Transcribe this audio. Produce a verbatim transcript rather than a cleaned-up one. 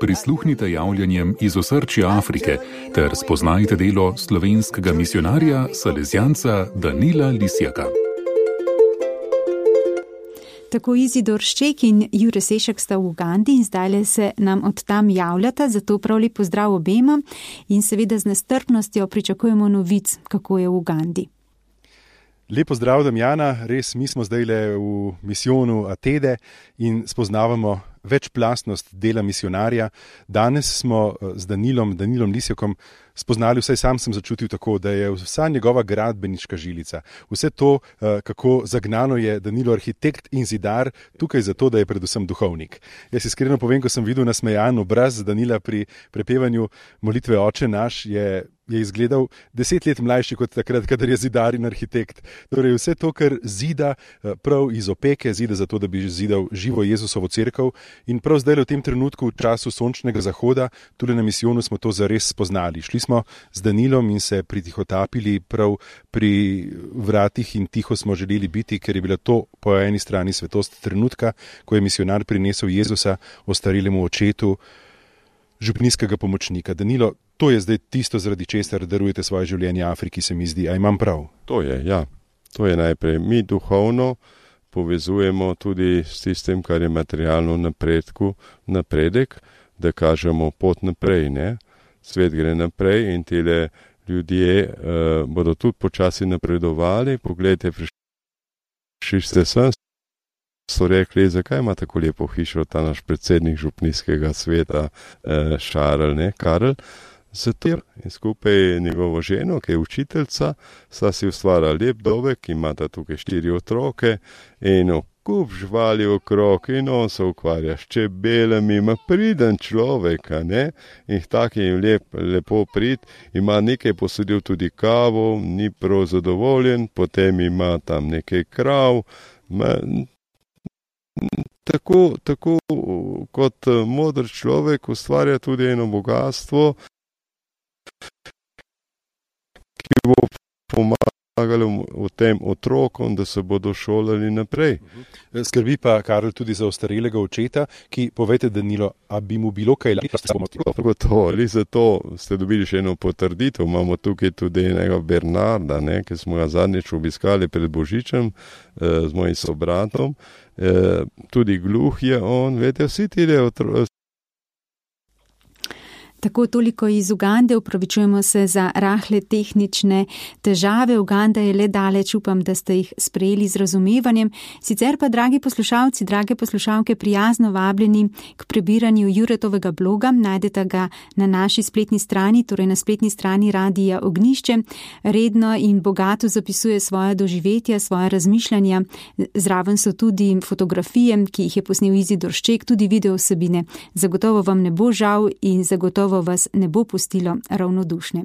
prisluhnite javljanjem iz osrčja Afrike ter spoznajte delo slovenskega misijonarja, salezijanca Danila Lisjaka. Tako Izidor Šček in Jure Sešek sta v Ugandi in zdajle se nam od tam javljata, zato prav lep pozdrav obema in seveda z nestrpnostjo pričakujemo novic, kako je v Ugandi. Lep pozdrav, Damjana, res mi smo zdajle v misijonu Atede in spoznavamo večplastnost dela misionarja. Danes smo z Danilom, Danilom Lisjakom spoznali, vsaj sam sem začutil tako, da je vsa njegova gradbeniška žilica, vse to, kako zagnano je Danilo arhitekt in zidar, tukaj zato, da je predvsem duhovnik. Jaz iskreno povem, ko sem videl nasmejan obraz Danila pri prepevanju molitve Oče naš, je je izgledal deset let mlajši kot takrat, kadar je zidar in arhitekt. Torej vse to, kar zida prav iz opeke, zida zato, da bi zidal živo Jezusovo cerkev. In prav zdaj v tem trenutku, v času sončnega zahoda, tudi na misijonu smo to zares spoznali. Šli smo z Danilom in se pritihotapili prav pri vratih in tiho smo želeli biti, ker je bila to po eni strani svetost trenutka, ko je misijonar prinesel Jezusa ostarelemu očetu, župnijskega pomočnika. Danilo, to je zdaj tisto, zaradi česar darujete svoje življenje Afriki, se mi zdi. A imam prav? To je, ja. To je najprej. Mi duhovno povezujemo tudi s tistim, kar je materialno napredku, napredek, da kažemo pot naprej, ne? Svet gre naprej in tile ljudje uh, bodo tudi počasi napredovali. Poglejte, prišli ste sem, so rekli, zakaj ima tako lepo hišo ta naš predsednik župnijskega sveta, uh, Šarl, ne, Karl. Zato in skupaj njegovo ženo, ki je učiteljica, sta si ustvarila lep dobek, imata tukaj štiri otroke in kup živali okrog in on se ukvarja s čebelami, ima priden človek, ne, in tak je jim lep, lepo prid, ima nekaj posodil tudi kavo, ni prav zadovoljen, potem ima tam nekaj krav, ma, tako, tako kot modr človek ustvarja tudi eno bogatstvo, ki bo pomagalo v tem otrokom, da se bodo šolali naprej. Skrbi pa Karl tudi za ostarelega očeta, ki, povejte Danilo, a bi mu bilo kaj Gotovo, ali zato ste dobili še eno potrditev. Imamo tukaj tudi enega Bernarda, ne, ki smo ga zadnjič obiskali pred Božičem eh, z mojim sobratom. Eh, tudi gluh je on, veste, vsi tile otroci. Tako toliko iz Ugande, upravičujemo se za rahle tehnične težave. Uganda je le daleč, upam, da ste jih sprejeli z razumevanjem. Sicer pa, dragi poslušalci, drage poslušalke, prijazno vabljeni k prebiranju Juretovega bloga. Najdete ga na naši spletni strani, torej na spletni strani Radija Ognjišče. Redno in bogato zapisuje svoje doživetja, svoje razmišljanja. Zraven so tudi fotografije, ki jih je posnel Izidor Šček, tudi video vsebine. Zagotovo vam ne bo žal in zagotovo vas ne bo pustilo ravnodušne.